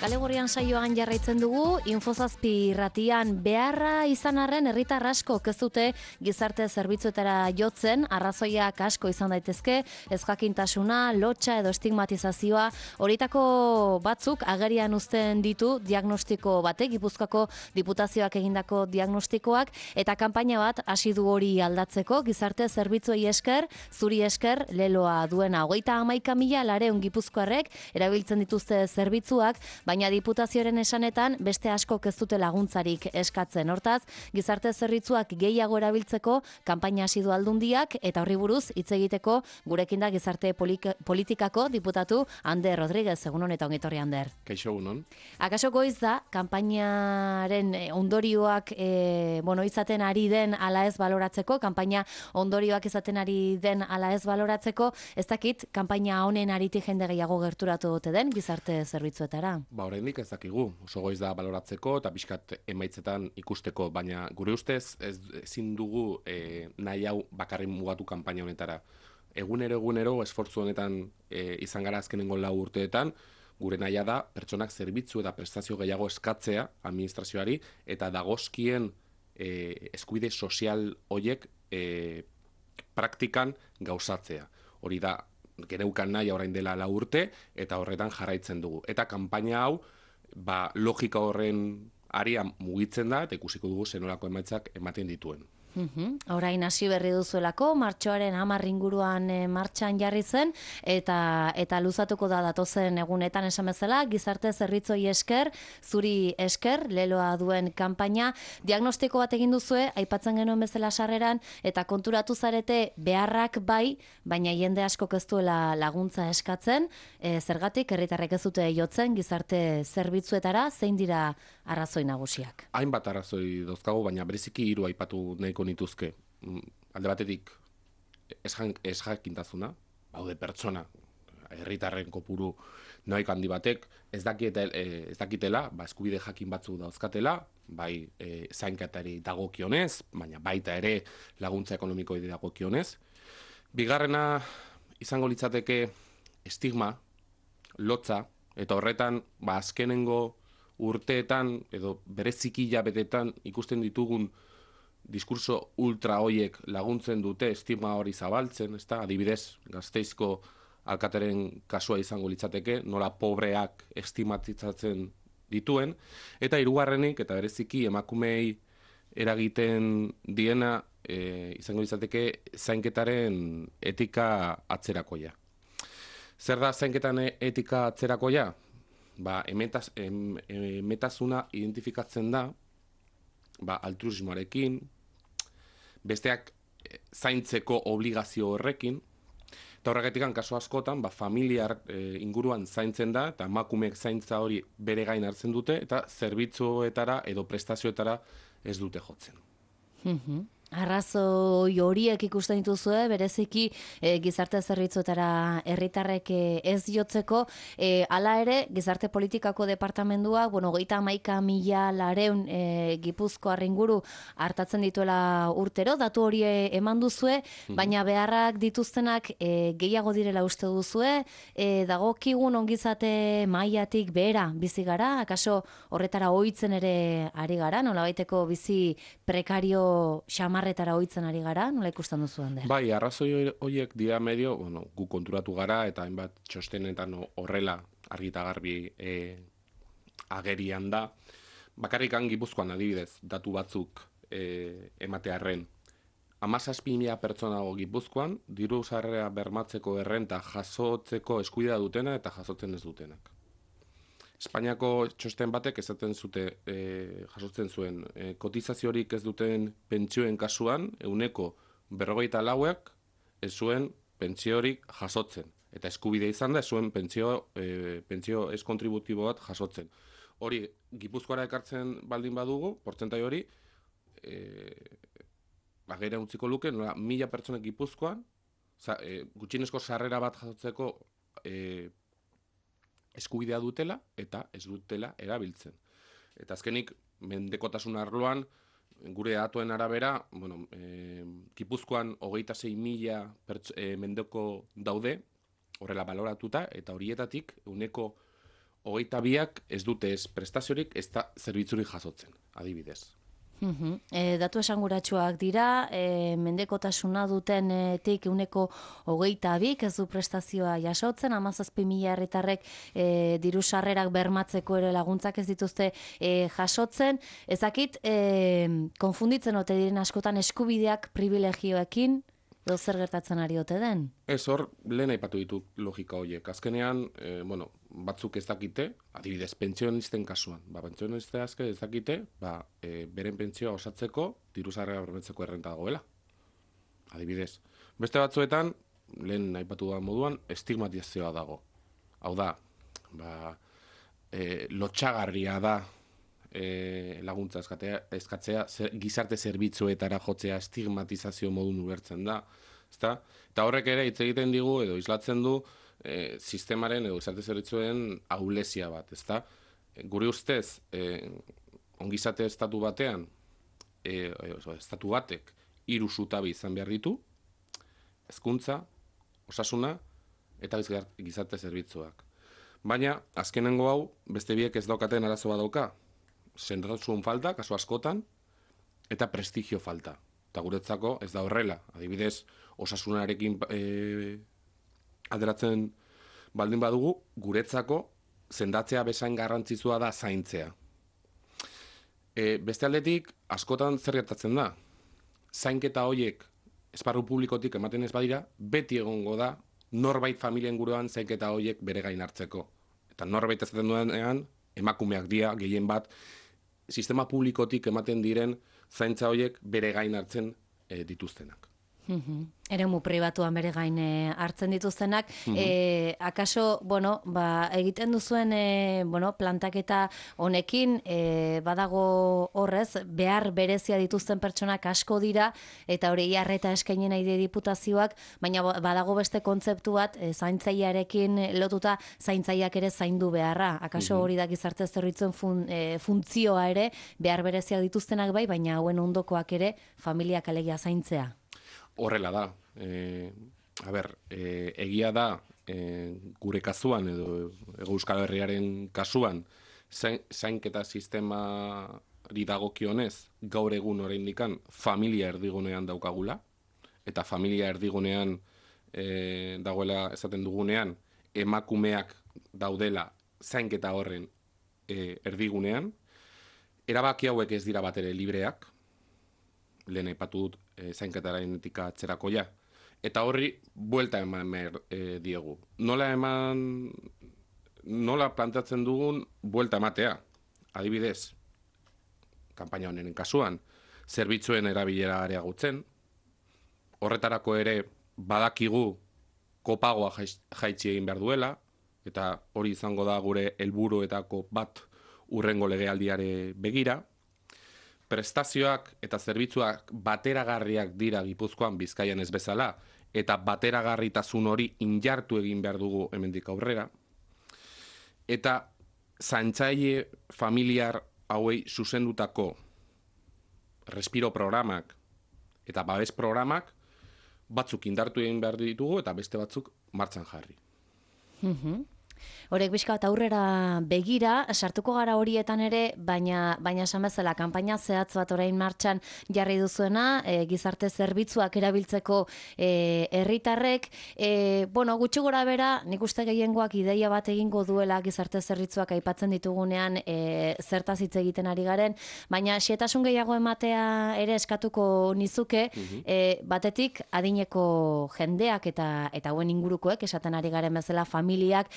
Kale Gorrian saioan jarraitzen dugu, Infozazpi irratian beharra izan arren herritar askok ez dute gizarte zerbitzuetara jotzen, arrazoiak asko izan daitezke, ezjakintasuna, lotsa edo estigmatizazioa, horietako batzuk agerian uzten ditu diagnostiko batek, Gipuzkoako Diputazioak egindako diagnostikoak, eta kanpaina bat hasi du hori aldatzeko, gizarte zerbitzuei esker, zuri esker, leloa duena 39.000 gipuzkoarrek erabiltzen dituzte zerbitzuak, baina Diputazioaren esanetan beste askok ez dute laguntzarik eskatzen. Hortaz, gizarte zerbitzuak gehiago erabiltzeko kanpaina hasi du Aldundiak eta horri buruz hitz egiteko gurekin da gizarte politikako diputatu Ander Rodriguez. Egunon eta ongi etorri, Ander. Kaixo, egunon. Akaso goiz da kanpainaren ondorioak izaten ari den ala ez baloratzeko, kanpaina ondorioak izaten ari den ala ez baloratzeko, ez dakit kanpaina honen aritik jende gehiago gerturatu dute den gizarte zerbitzuetara. Oraindik ez dakigu, oso goiz da baloratzeko eta pixkat emaitzetan ikusteko, baina gure ustez ezin dugu nahi hau bakarrik mugatu kanpaina honetara. Egunero esfortzu honetan izan gara azkenengo 4 urteetan, gure nahia da pertsonak zerbitzu eta prestazio gehiago eskatzea administrazioari eta dagozkien eskubide sozial hoiek praktikan gauzatzea. Hori da geneukan nahi orain dela 4 urte eta horretan jarraitzen dugu. Eta kanpaina hau logika horren aria mugitzen da eta ikusiko dugu zenolako emaitzak ematen dituen. Orain hasi berri duzuelako, martxoaren 10 inguruan martxan jarri zen, eta luzatuko da datozen egunetan esan bezala, gizarte zerbitzoi esker, zuri esker, leloa duen kanpaina, diagnostiko bat egin duzue, aipatzen genuen bezala sarreran, eta konturatu zarete beharrak bai, baina jende askok ez duela laguntza eskatzen, zergatik herritarrek ez dute jotzen gizarte zerbitzuetara, zein dira arrazoi nagusiak? Hainbat arrazoi dauzkagu, baina bereziki 3 aipatu nahiko nituzke. Alde batetik ezjakintasuna, baude pertsona, herritarren kopuru nahiko handi batek, ez dakitela, eskubide jakin batzu dauzkatela, bai zainketari dagokionez, baina baita ere laguntza ekonomikoi dagokionez. Bigarrena izango litzateke estigma, lotza, eta horretan azkenengo urteetan edo bereziki hilabetetan ikusten ditugun diskurso ultra hoiek laguntzen dute estigma hori zabaltzen, ezta? Adibidez, Gasteizko alkateren kasua izango litzateke, nola pobreak estigmatizatzen dituen, eta hirugarrenik eta bereziki emakumeei eragiten diena izango litzateke zainketaren etika atzerakoia. Zer da zainketan etika atzerakoia? Emetasuna identifikatzen da altruismoarekin, besteak zaintzeko obligazio horrekin, eta horregatik kasu askotan familiar inguruan zaintzen da, eta emakumeek zaintza hori bere gain hartzen dute, eta zerbitzuetara edo prestazioetara ez dute jotzen. Arrazoi horiek ikusten dituzue, bereziki gizarte zerbitzuetara herritarrek ez jotzeko, hala ere, gizarte politikako departamentua, 39.000 Gipuzkoar inguru hartatzen dituela urtero, datu hori eman duzue, baina beharrak dituztenak gehiago direla uste duzue, dagokigun ongizate mailatik behera bizi gara, akaso horretara ohitzen ere ari gara, nolabaiteko bizi prekario xamarretara ohitzen ari gara, nola ikusten duzu, Ander? Bai, arrazoi horiek dira medio, gu konturatu gara eta hainbat txostenetan horrela argi eta garbi agerian da. Bakarrikan Gipuzkoan adibidez, datu batzuk ematearren. 17.000 pertsona dago Gipuzkoan, diru sarrera bermatzeko errenta jasotzeko eskubidea dutena eta jasotzen ez dutenak. Espainiako txosten batek esaten jasotzen zuen kotizaziorik ez duten pentsioen kasuan, 54%ak ez zuen pentsiorik jasotzen. Eta eskubide izan da, ez zuen pentsio ez kontributibo bat jasotzen. Hori, Gipuzkoara ekartzen baldin badugu, portzentai hori, agera utziko luke, 1.000 pertsonek Gipuzkoan, gutxienezko sarrera bat jasotzeko eskubidea dutela eta ez dutela erabiltzen. Eta azkenik, mendekotasun arloan, gure datuen arabera, Gipuzkoan 26.000 mendeko daude, horrela baloratuta, eta horietatik 22ak ez dute ez prestaziorik, ez da zerbitzurik jasotzen, adibidez. Datu esanguratsuak dira, mendekotasuna dutenetik 22% ez du prestazioa jasotzen, 17.000 herritarrek diru sarrerak bermatzeko ere laguntzak ez dituzte jasotzen. Ezakit, konfunditzen ote diren askotan eskubideak privilegioekin, edo zer gertatzen ari ote den? Ez hor, lehen aipatu ditut logika horiek. Azkenean, batzuk ez dakite, adibidez, pentsionisten kasuan. Pentsioniste azke ez dakite, beren pentsioa osatzeko, diru sarrera bermatzeko errenta dagoela. Adibidez. Beste batzuetan, lehen aipatu da moduan, estigmatizazioa dago. Hau da, lotxagarria da laguntza eskatzea, gizarte zerbitzuetara jotzea estigmatizazio modun ulertzen da. Ezta? Eta horrek ere hitz egiten digu edo islatzen du sistemaren edo gizarte zerbitzuen ahulezia bat. Ezta? Gure ustez, ongizate estatu batean, estatu batek 3 zutabe izan behar ditu, hezkuntza, osasuna eta gizarte zerbitzuak. Baina, azkenengo hau, beste biek ez daukaten arazo bat dauka. Zentraltasun falta, kasu askotan, eta prestigio falta. Eta guretzako ez da horrela. Adibidez, osasunarekin alderatzen baldin badugu, guretzako sendatzea bezain garrantzitsua da zaintzea. Beste aldetik, askotan zer gertatzen da. Zainketa horiek esparru publikotik ematen ez badira, beti egongo da norbait familien guruan zainketa horiek bere gain hartzeko. Eta norbait ezaten duenean, emakumeak dira, gehien bat, sistema publikotik ematen diren zaintza horiek bere gain hartzen dituztenak. Eremu pribatuan bere gain hartzen dituztenak. Akaso, egiten duzuen plantaketa honekin, badago horrez, behar berezia dituzten pertsonak asko dira, eta hori arreta eskaini nahi die diputazioak, baina badago beste kontzeptu bat, zaintzailearekin lotuta zaintzaileak ere zaindu beharra. Akaso hori da gizarte zerbitzuen funtzioa ere, behar bereziak dituztenak bai, baina hauen ondokoak ere familiak alegia zaintzea. Horrela da. Egia da, gure kasuan edo Euskal Herriaren kasuan, zainketa sistemari dagokionez, gaur egun oraindikan familia erdigunean daukagula, eta familia erdigunean dagoela esaten dugunean, emakumeak daudela zainketa horren erdigunean, erabaki hauek ez dira batere libreak, lehen aipatu dut zainketaren atzerakoia. Eta horri, buelta eman diegu. Nola planteatzen dugun buelta ematea. Adibidez, kanpaina honen kasuan, zerbitzuen erabilera areagotzen, horretarako ere badakigu kopagoa jaitsi egin behar duela, eta hori izango da gure helburuetako bat hurrengo legealdiare begira. Prestazioak eta zerbitzuak bateragarriak dira Gipuzkoan, Bizkaian ez bezala, eta bateragarritasun hori injartu egin behar dugu hemendik aurrera. Eta zaintzaile familiar hauei zuzendutako respiro programak eta babes programak batzuk indartu egin behar ditugu eta beste batzuk martxan jarri. Horek bizka eta aurrera begira, sartuko gara horietan ere, baina esan bezala, kanpaina zehatz bat orain martxan jarri duzuena, gizarte zerbitzuak erabiltzeko herritarrek, gutxi gora bera, nik uste gehiengoak ideia bat egingo duela gizarte zerbitzuak aipatzen ditugunean zertaz hitz egiten ari garen, baina xehetasun gehiago ematea ere eskatuko nizuke, batetik adineko jendeak eta hauen ingurukoek, esaten ari garen bezala familiak,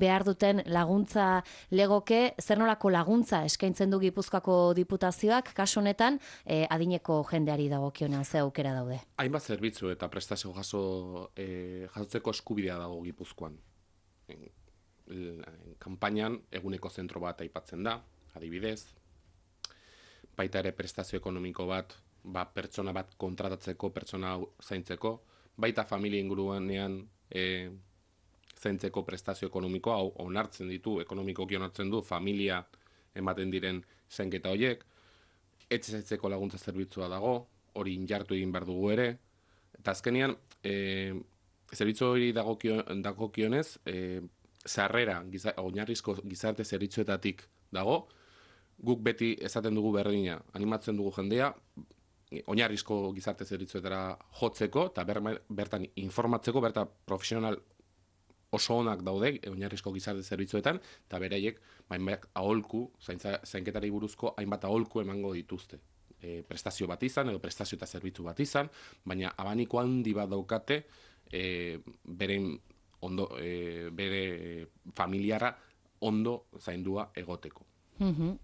behar duten laguntza legoke, zer nolako laguntza eskaintzen du Gipuzkoako diputazioak, kasu honetan, adineko jendeari dagokionean ze aukera daude. Hainbat zerbitzu eta prestazio jasotzeko eskubidea dago Gipuzkoan. Kanpainan eguneko zentro bat aipatzen da, adibidez, baita ere prestazio ekonomiko bat, pertsona bat kontratatzeko, pertsona zaintzeko, baita familia inguruanean zaintzeko prestazio ekonomikoa, onartzen ditu, ekonomikoki onartzen du, familia ematen diren zainketa horiek, etxezaintzeko laguntza zerbitzua dago, hori injartu egin behar dugu ere, eta azkenean, zerbitzu hori dagokionez, sarrera oinarrizko gizarte zerbitzuetatik dago, guk beti esaten dugu berdina, animatzen dugu jendea, oinarrizko gizarte zerbitzuetara jotzeko, eta bertan informatzeko, bertan profesional oso onak daude, oinarrizko gizarte zerbitzuetan, eta beraiek, aholku, zainketari buruzko hainbat aholku emango dituzte. Prestazio bat izan, edo prestazio eta zerbitzu bat izan, baina abaniko handi bat daukate, bere familiara ondo zaindua egoteko.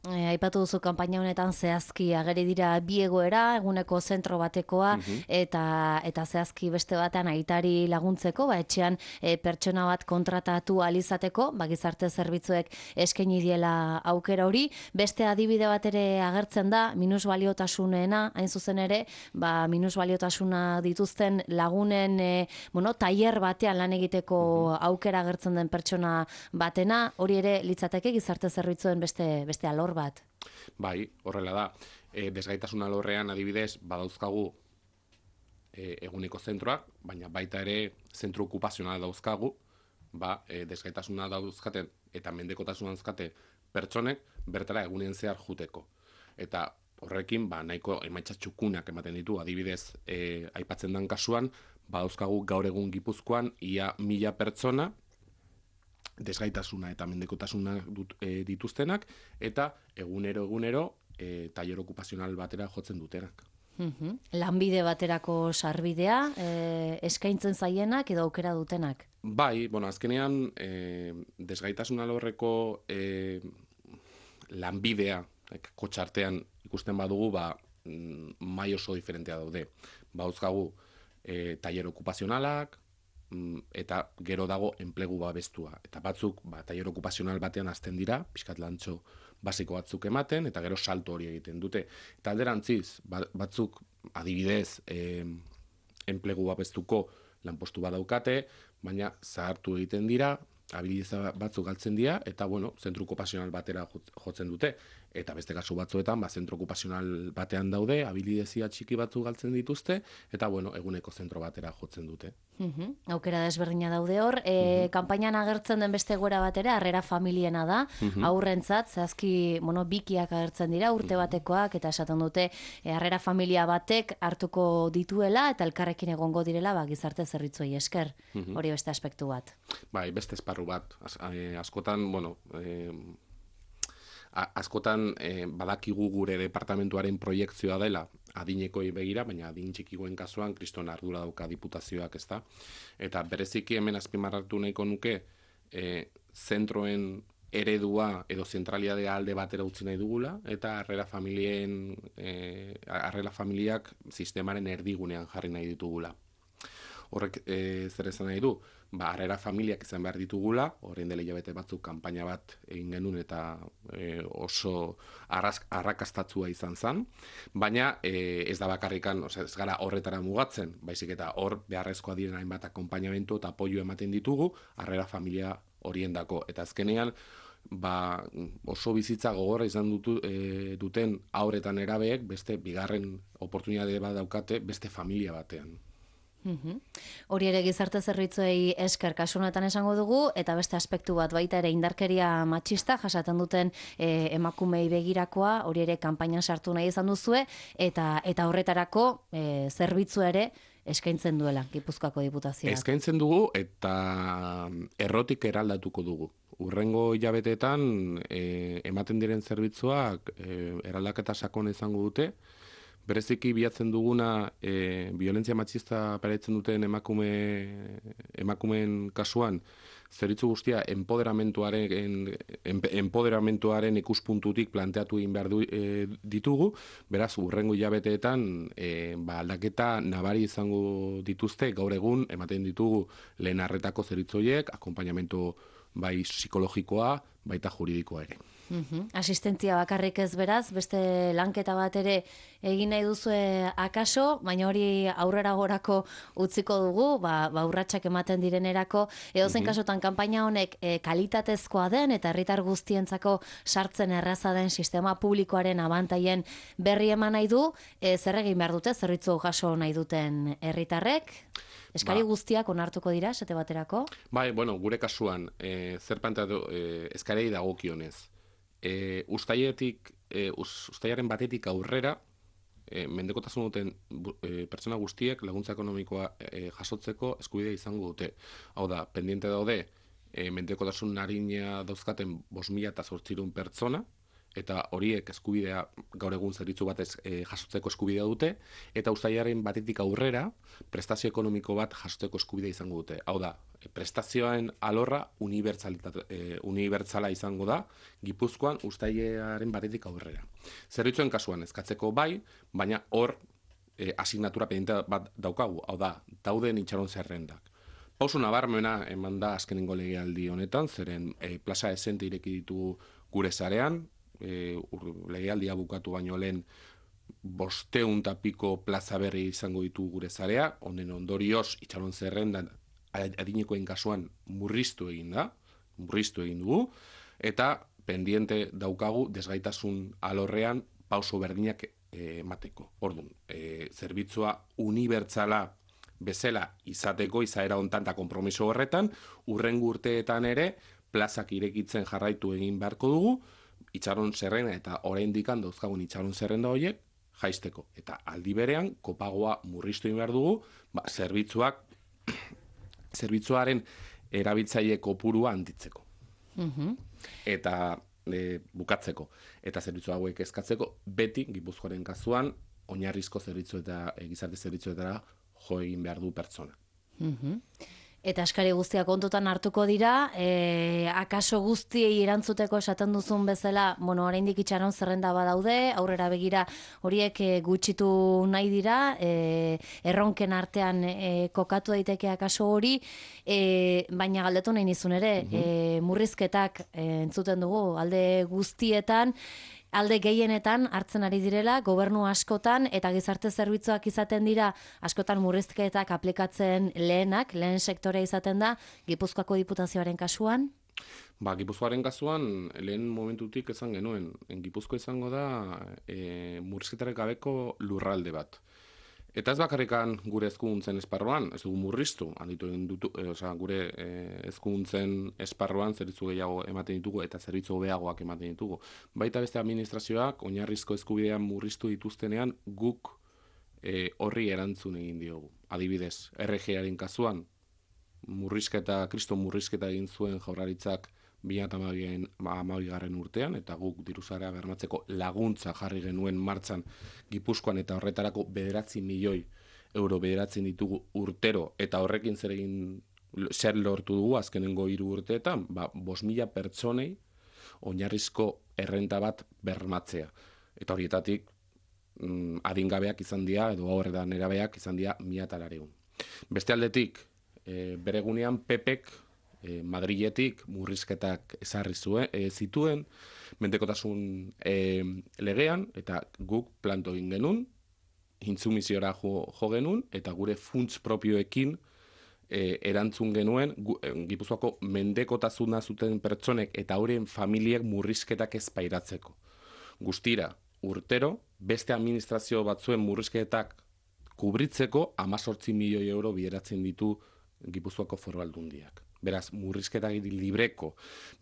Aipatu duzu kanpaina honetan zehazki ageri dira bi egoera, eguneko zentro batekoa eta zehazki beste batean aitari laguntzeko, etxean pertsona bat kontratatu alizateko, gizarte zerbitzuek eskaini diela aukera hori. Beste adibide bat ere agertzen da, minusbaliotasunena, hain zuzen ere, minusbaliotasuna dituzten lagunen tailer batean lan egiteko aukera agertzen den pertsona batena, hori ere litzateke gizarte zerbitzuen beste alor bat. Bai, horrela da. Desgaitasun alorrean adibidez badauzkagu eguneko zentroak, baina baita ere zentro okupazionala dauzkagu, desgaitasuna dauzkaten eta mendekotasuna dauzkate pertsonek bertara egunen zehar juteko. Eta horrekin nahiko emaitza txukunak ematen ditu, adibidez aipatzen den kasuan, badauzkagu gaur egun Gipuzkoan ia 1000 pertsona desgaitasuna eta mendekotasuna dituztenak, eta egunero tailer okupazional batera jotzen dutenak. Lanbide baterako sarbidea, eskaintzen zaienak edo aukera dutenak? Bai, azkenean desgaitasun alorreko lanbidea kotxartean ikusten badugu, mai oso diferentea daude. Bauzkagu tailer okupazionalak, eta gero dago enplegu babestua. Eta batzuk tailer okupazional batean hasten dira, pixkat lantxo basiko batzuk ematen, eta gero salto hori egiten dute. Eta alderantziz, batzuk adibidez enplegu babestuko lanpostu badaukate, baina zahartu egiten dira, habilidade batzuk galtzen dira, eta zentro okupazional batera jotzen dute. Eta beste kasu batzuetan, zentro okupazional batean daude, habilidezia txiki batzuk galtzen dituzte, eta eguneko zentro batera jotzen dute. Aukera desberdina daude hor. Kanpainan agertzen den beste egoera batera, harrera familiena da, aurrentzat, zehazki bikiak agertzen dira, urte batekoak, eta esaten dute, harrera familia batek hartuko dituela, eta elkarrekin egongo direla, gizarte zerbitzuei esker. Hori beste aspektu bat. Bai, beste esparru bat. Askotan badakigu gure departamentuaren proiektzioa dela adinekoi begira, baina adin txikigoen kasuan kriston ardura dauka diputazioak, ezta? Eta bereziki hemen azpimarratu nahiko nuke zentroen eredua edo zentralidadea alde batera utzi nahi dugula, eta harrera familiak sistemaren erdigunean jarri nahi ditugula. Horrek zer esan nahi du? Harrera familiak izan behar ditugula, horrein dela hilabete batzuk kanpaina bat egin genuen eta oso arrakastatzua izan zen, baina ez da bakarrikan, ez gara horretara mugatzen, baizik eta hor beharrezkoa diren hainbat akonpainamentu eta apoio ematen ditugu harrera familia horiendako. Eta azkenean, oso bizitza gogorra izan duten haur eta nerabeek beste bigarren oportunitate bat daukate beste familia batean. Hori ere gizarte zerbitzuei esker kasu honetan esango dugu, eta beste aspektu bat baita ere indarkeria matxista jasaten duten emakumei begirakoa, hori ere kanpainan sartu nahi izan duzue, eta horretarako zerbitzua ere eskaintzen duela Gipuzkoako Diputazioak. Eskaintzen dugu eta errotik eraldatuko dugu. Urrengo hilabeteetan ematen diren zerbitzuak eraldaketa sakon izango dute. Bereziki bilatzen duguna violentzia matxista pairatzen duten emakumeen kasuan, zerbitzu guztia empoderamentuaren ikuspuntutik planteatu egin behar ditugu, beraz, urrengo hilabeteetan aldaketa nabari izango dituzte, gaur egun ematen ditugu lehen arretako zerbitzu horiek, akonpainamentu bai psikologikoa, baita juridikoa ere. Asistentzia bakarrik ez beraz, beste lanketa bat ere egin nahi duzue akaso, baina hori aurrera gorako utziko dugu, urratsak ematen direnerako, edozein kasutan kanpaina honek kalitatezkoa den eta herritar guztientzako sartzen erraza den sistema publikoaren abantaien berri eman nahi du, zer egin behar dute, zerbitzu jaso nahi duten herritarrek? Eskari guztiak onartuko dira, esate baterako? Bai, gure kasuan, zer planteatu eskarei dagokionez. Uztailaren batetik aurrera, mendekotasun duten pertsona guztiek laguntza ekonomikoa jasotzeko eskubidea izango dute. Hau da, pendiente daude, mendekotasun arina dauzkaten 5.800 pertsona, eta horiek eskubidea gaur egun zerbitzu batez jasotzeko eskubidea dute, eta uztailaren batetik aurrera prestazio ekonomiko bat jasotzeko eskubidea izango dute. Hau da, prestazioen alorra unibertsala izango da, Gipuzkoan uztailaren batetik aurrera. Zerbitzuen kasuan eskatzeko bai, baina hor asignatura pendiente bat daukagu, hau da, dauden itxaron zerrendak. Pauso nabarmena eman da azkenengo legealdi honetan, zeren plaza esente ireki ditu gure zarean, legealdia bukatu baino lehen 500 eta piko plaza berri izango ditu gure zarea, honen ondorioz itxaron zerrendan adinekoen kasuan murriztu egin dugu, eta pendiente daukagu desgaitasun alorrean pauso berdinak emateko. Orduan, zerbitzua unibertsala bezala izateko, izaera hontan eta konpromiso horretan, hurrengo urteetan ere plazak irekitzen jarraitu egin beharko dugu, itxaron zerrenda eta oraindik dauzkagun itxaron zerrenda horiek jaisteko. Eta aldi berean, kopagoa murriztu egin behar dugu, zerbitzuaren erabiltzaile kopurua handitzeko. Eta bukatzeko. Eta zerbitzu hauek eskatzeko, beti Gipuzkoaren kasuan, oinarrizko zerbitzu eta gizarte zerbitzuetara jo egin behar du pertsona. Eta eskari guztiak kontutan hartuko dira, akaso guztiei erantzuteko esaten duzun bezala, oraindik itxaron zerrenda badaude, aurrera begira horiek gutxitu nahi dira, erronken artean kokatu daiteke akaso hori, baina galdetu nahi nizun ere, murrizketak entzuten dugu, alde guztietan, alde gehienetan hartzen ari direla, gobernu askotan eta gizarte zerbitzuak izaten dira, askotan murrizketak aplikatzen lehen sektorea izaten da, Gipuzkoako Diputazioaren kasuan? Gipuzkoaren kasuan, lehen momentutik esan genuen, Gipuzko izango da murrizketarek gabeko lurralde bat. Eta ez bakarrikan gure hezkuntzen esparruan, ez dugu murriztu, gure hezkuntzen esparruan zerbitzu gehiago ematen ditugu eta zerbitzu hobeagoak ematen ditugu. Baita beste administrazioak oinarrizko eskubidean murriztu dituztenean guk horri erantzun egin diogu. Adibidez, RG-aren kasuan, kriston murrizketa egin zuen Jaurlaritzak 2012 urtean, eta guk diruzarea bermatzeko laguntza jarri genuen martxan Gipuzkoan, eta horretarako 9 milioi euro bederatzen ditugu urtero, eta horrekin zer lortu dugu azkenengo 3 urteetan, 5.000 pertsonei oinarrizko errenta bat bermatzea. Eta horietatik adingabeak izan dira, edo horretan nerabeak izan dira 1.900. Beste aldetik, bere gunean PPek Madriletik murrizketak ezarri zituen, mendekotasun legean, eta guk planto egin genuen, intsumiziora jo genuen, eta gure funts propioekin erantzun genuen, Gipuzkoako mendekotasuna zuten pertsonek eta horien familiek murrizketak ez pairatzeko. Guztira, urtero, beste administrazio batzuen murrizketak kubritzeko 18 milioi euro bideratzen ditu Gipuzkoako Foru Aldundiak. Beraz, murrizketak libreko.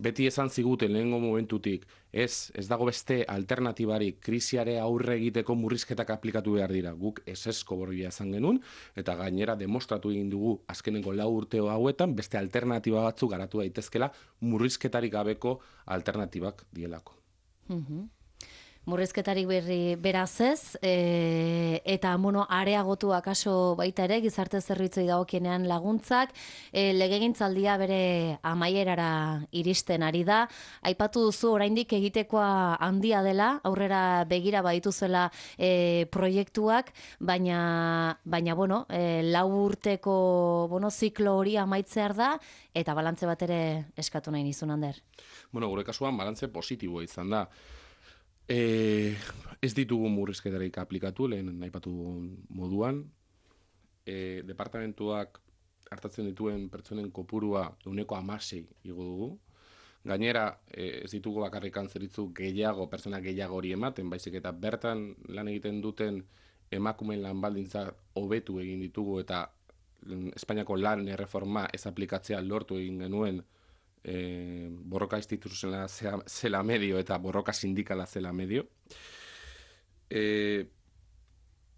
Beti esan ziguten lehengo momentutik, ez dago beste alternatibarik, krisiare aurre egiteko murrizketak aplikatu behar dira. Guk esesko borbia esan genuen, eta gainera demostratu egin dugu azkenengo 4 urteo hauetan, beste alternatiba batzu garatu daitezkela murrizketarik gabeko alternatibak dielako. Murrizketarik beraz ez, eta areagotu akaso baita ere, gizarte zerbitzuei dagokienean laguntzak, legegintzaldia bere amaierara iristen ari da. Aipatu duzu oraindik egitekoa handia dela, aurrera begira badituzuela proiektuak, baina lau urteko ziklo hori amaitzear da, eta balantze bat ere eskatu nahi nizun, Ander. Gure kasuan balantze positiboa izan da. Ez ditugu murrizketarik aplikatu, lehen aipatu moduan. Departamentuak hartatzen dituen pertsonen kopurua 16% igo dugu. Gainera, ez ditugu bakarrikan zerbitzu pertsona gehiago hori ematen, baizik eta bertan lan egiten duten emakumeen lan baldintza hobetu egin ditugu eta Espainiako lan erreforma ez aplikatzea lortu egin genuen borroka instituzionala zela medio eta borroka sindikala zela medio.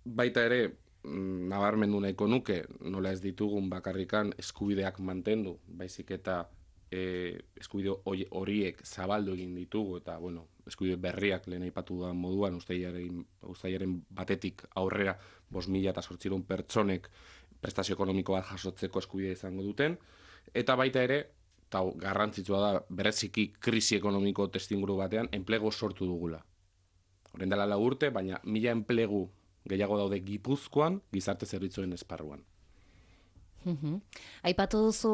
Baita ere, nabarmendu nahiko nuke, nola ez ditugun bakarrikan eskubideak mantendu, baizik eta eskubide horiek zabaldu egin ditugu, eta eskubide berriak lehen aipatu da moduan, uztailaren batetik aurrera 5.800 pertsonek prestazio ekonomiko bat jasotzeko eskubidea izango duten, eta baita ere, eta garrantzitsua da, bereziki krisi ekonomiko testinguru batean, enplegu sortu dugula. Horren dela 4 urte, baina 1000 enplegu gehiago daude Gipuzkoan, gizarte zerbitzuen esparruan. Aipatu duzu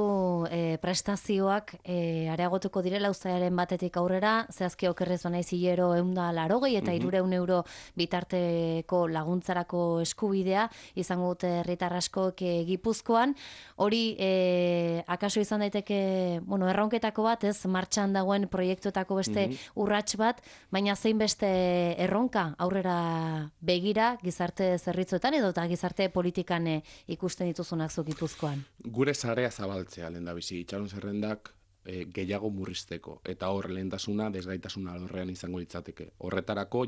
prestazioak areagotuko direla uztailaren batetik aurrera, zehazki okerrez banaiz hilero 180 eta 300 euro bitarteko laguntzarako eskubidea izango dute herritar askok Gipuzkoan. Hori akaso izan daiteke erronketako bat, ez martxan dagoen proiektuetako beste urrats bat, baina zein beste erronka aurrera begira gizarte zerbitzuetan edo eta gizarte politikan ikusten dituzunak zu Gipuzkoan. Gure sarea zabaltzea lehendabizi, itxaron zerrendak gehiago murrizteko, eta hor lehentasuna desgaitasuna alorrean izango litzateke. Horretarako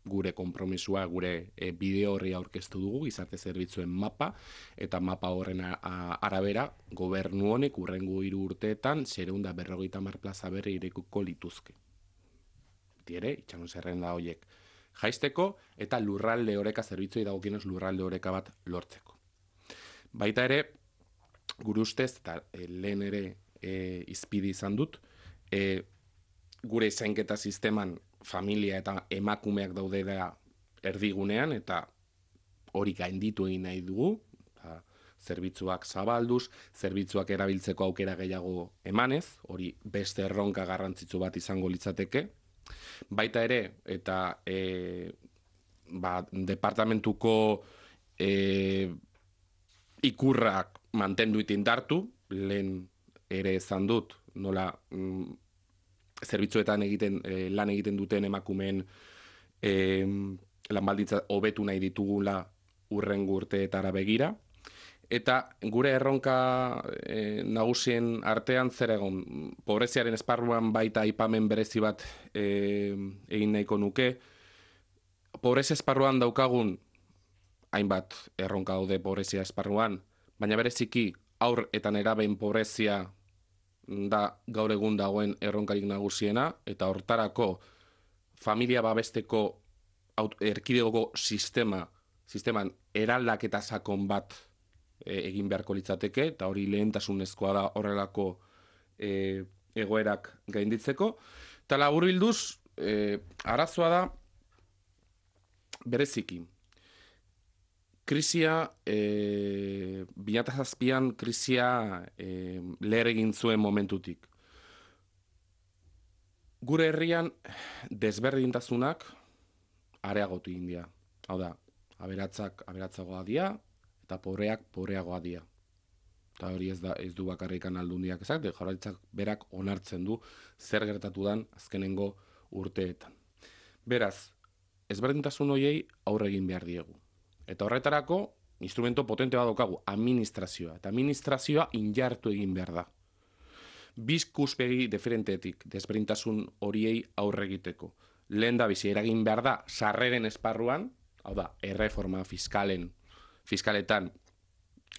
gure konpromisua, gure bideo horri aurkeztu dugu, gizarte zerbitzuen mapa, eta mapa horren arabera, gobernu honek hurrengo 3 urteetan 450 plaza berri irekiko lituzke. Ere, itxaron zerrenda horiek jaisteko, eta lurralde oreka zerbitzuei dagokienez lurralde oreka bat lortzeko. Baita ere, gure ustez, eta lehen ere izpidi izan dut, gure zainketa sisteman familia eta emakumeak daudera erdigunean, eta hori gainditu egin nahi dugu, zerbitzuak zabalduz, zerbitzuak erabiltzeko aukera gehiago emanez, hori beste erronka garrantzitsu bat izango litzateke. Baita ere, eta departamentuko ikurrak mantendu itindartu, lehen ere esan dut, nola zerbitzuetan lan egiten duten emakumeen lan baldintza hobetu nahi ditugula hurrengo urteetara begira. Eta gure erronka nagusien artean zer egon, pobreziaren esparruan baita aipamen berezi bat egin nahiko nuke. Pobrezia esparruan daukagun hainbat erronka daude pobrezia esparruan, baina bereziki haur eta nerabeen pobrezia da gaur egun dagoen erronkarik nagusiena, eta hortarako familia babesteko erkidegoko sisteman eraldaketa sakon bat egin beharko litzateke, eta hori lehentasunezkoa da horrelako egoerak gainditzeko. Eta laburbilduz, arazoa da bereziki. Krisia, 2007an krisia leher egin zuen momentutik. Gure herrian desberdintasunak areagotu egin dira. Hau da, aberatsak aberatsagoa dira, eta pobreak pobreagoa dira. Eta hori ez du bakarrikan aldundiak ezak, Jaurlaritzak berak onartzen du zer gertatu dan azkenengo urteetan. Beraz, ezberdintasun horiei aurre egin behar diegu. Eta horretarako, instrumento potente bat daukagu, administrazioa. Eta administrazioa injartu egin behar da. Bizkuspegi diferentetik desberdintasun horiei aurre egiteko. Lehen da bizi eragin behar da sarreren esparruan, hau da, erreforma fiskaletan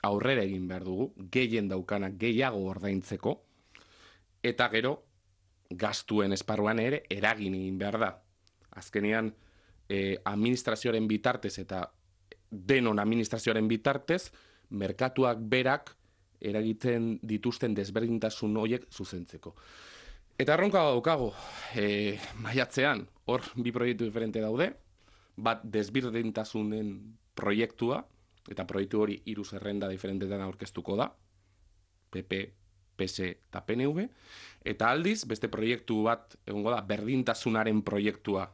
aurrera egin behar dugu, gehien daukanak gehiago ordaintzeko, eta gero, gastuen esparruan ere eragin egin behar da. Azkenean, administrazioaren bitartez eta denon administrazioaren bitartez, merkatuak berak eragiten dituzten desberdintasun horiek zuzentzeko. Eta erronka daukago, maiatzean, hor bi proiektu diferente daude, bat desberdintasunen proiektua, eta proiektu hori 3 zerrenda diferentetan aurkeztuko da, PP, PS eta PNV, eta aldiz, beste proiektu bat, egongo da, berdintasunaren proiektua,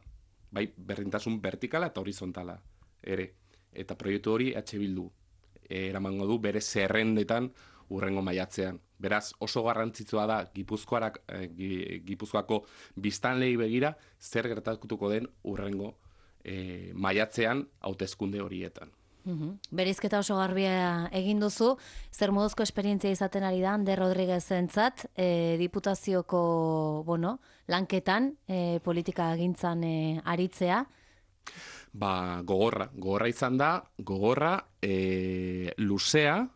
bai, berdintasun vertikala eta horizontala ere. Eta proiektu hori Bildu eramango du bere zerrendetan hurrengo maiatzean. Beraz, oso garrantzitsua da Gipuzkoako biztanleei begira zer gertatuko den hurrengo maiatzean hauteskunde horietan. Bereizketa oso garbia egin duzu, zer moduzko esperientzia izaten ari da Ander Rodriguezentzat, diputazioko, lanketan, politika gintzan aritzea? Gogorra izan da, luzea,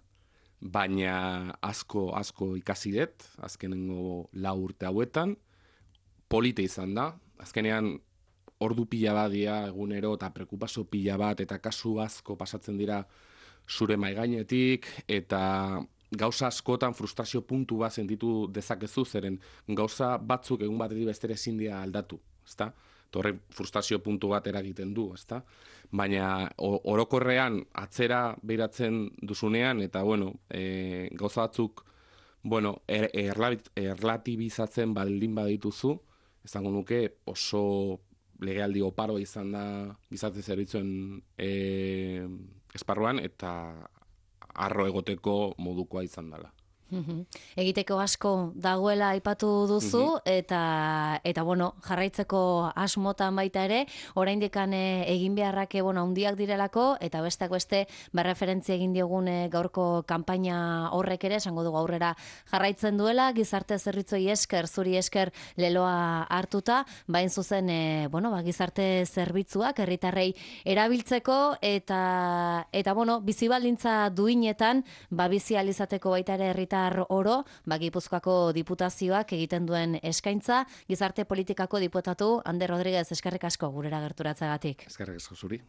baina asko ikasi dut, azkenengo 4 urte hauetan, polite izan da, azkenean ordu pila bat dira egunero eta preokupazio pila bat eta kasu asko pasatzen dira zure maigainetik eta gauza askotan frustrazio puntu bat sentitu dezakezu zeren gauza batzuk egun batetik bestera ezin dira aldatu, ezta? Horrek frustrazio puntu bat eragiten du, ezta? Baina orokorrean atzera behiratzen duzunean eta gauza batzuk erlatibizatzen baldin badituzu, esango nuke oso legealdi oparo izan da gizarte zerbitzuen esparruan eta harro egoteko modukoa izan dela. Egiteko asko dagoela aipatu duzu eta jarraitzeko asmotan baita ere, oraindik egin beharrak handiak direlako eta besteak beste berreferentzia egin diogun gaurko kanpaina horrek ere esango dugu aurrera jarraitzen duela, gizarte zerbitzuei esker, zuri esker leloa hartuta, bain zuzen gizarte zerbitzuak herritarrei erabiltzeko eta bizi baldintza duinetan bizi ahal izateko baita ere herritar oro, Gipuzkoako diputazioak egiten duen eskaintza, gizarte politikako diputatu Ander Rodriguez, eskerrik asko gurera gerturatzagatik. Eskerrik asko zuri.